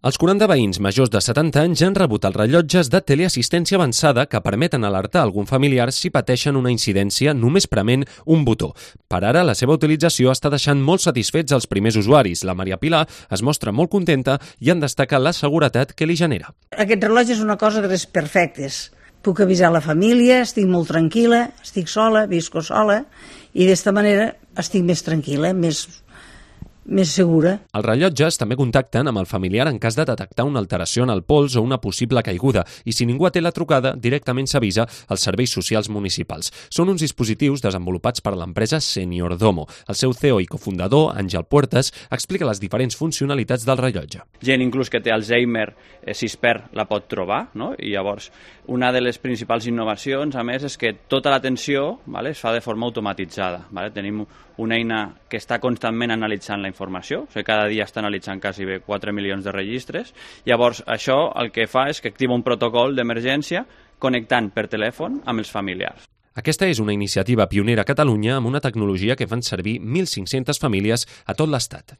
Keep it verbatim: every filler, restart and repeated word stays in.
Els quaranta veïns majors de setanta anys ja han rebut els rellotges de teleassistència avançada que permeten alertar algun familiar si pateixen una incidència només prement un botó. Per ara, la seva utilització està deixant molt satisfets els primers usuaris. La Maria Pilar es mostra molt contenta i en destaca la seguretat que li genera. Aquest rellotge és una cosa de les perfectes. Puc avisar la família, estic molt tranquil·la, estic sola, visco sola i d'esta manera estic més tranquil·la, més... més segura. Els rellotges també contacten amb el familiar en cas de detectar una alteració en el pols o una possible caiguda i si ningú té la trucada, directament s'avisa als serveis socials municipals. Són uns dispositius desenvolupats per l'empresa Seniordomo. El seu C E O i cofundador, Àngel Puertas, explica les diferents funcionalitats del rellotge. Gent inclús que té Alzheimer, eh, si es perd, la pot trobar, no? I llavors una de les principals innovacions, a més, és que tota l'atenció, vale, es fa de forma automatitzada. Vale? Tenim una eina que està constantment analitzant la informació, o sigui, cada dia està analitzant quasi bé quatre milions de registres. Llavors, això el que fa és que activa un protocol d'emergència connectant per telèfon amb els familiars. Aquesta és una iniciativa pionera a Catalunya amb una tecnologia que fan servir mil cinc-centes famílies a tot l'Estat.